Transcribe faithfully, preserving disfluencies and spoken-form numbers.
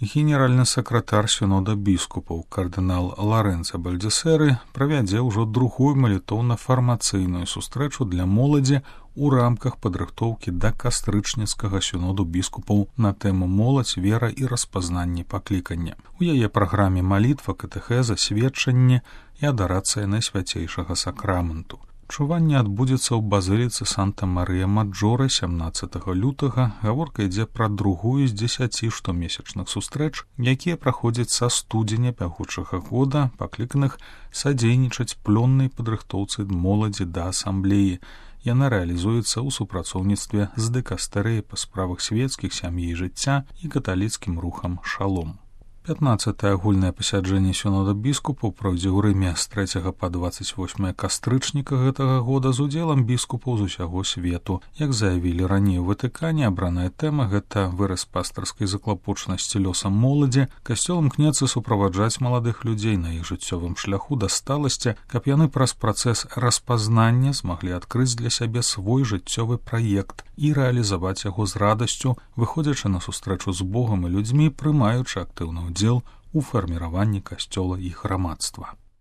Генеральны сакратар сінода біскупаў кардынал Ларэнцо Бальдзесеры правядзе ўжо другую малітоўна-фармацыйную сустрэчу для моладзі у рамках падрыхтоўкі да кастрычніцкага сіноду біскупаў на тэму моладзь, вера і распазнанне паклікання. У яе праграме малітва, катэхеза, сведчанне і адарацыя найсвяцейшага сакраменту. Чуванне адбудзецца ў базыліцы Санта-Марыя-Маджоре сямнаццатага лютага. Гаворка ідзе пра другую з дзесяці штомесячных сустрэч, якія праходзяць са студзеня бягучага года, пакліканых садзейнічаць плённай падрыхтоўцы моладзі да асамблеі. Яна рэалізуецца ў супрацоўніцтве з дыкастэрыяй па справах свецкіх, сям'і і жыцця і каталіцкім рухам «Шалом». пятнаццатае агульнае пасяджэнне сінода біскупаў пройдзе ў Рыме з трэцяга па дваццаць восьмае кастрычніка гэтага года з удзелам біскупаў з усяго свету. Як заявілі раней у Ватыкане, абраная тэма — гэта выраз пастырскай заклапочанасці лёсам моладзі. Касцёл імкнецца суправаджаць маладых людзей на іх жыццёвым шляху да сталасці, каб яны праз працэс распазнання змаглі адкрыць для сябе свой жыццёвы праект і рэалізаваць яго з радасцю, выходзячы на сустрэчу з Богам і людзьмі, прымаючы актыўны удзел у фарміраванні касцёла і грамадства.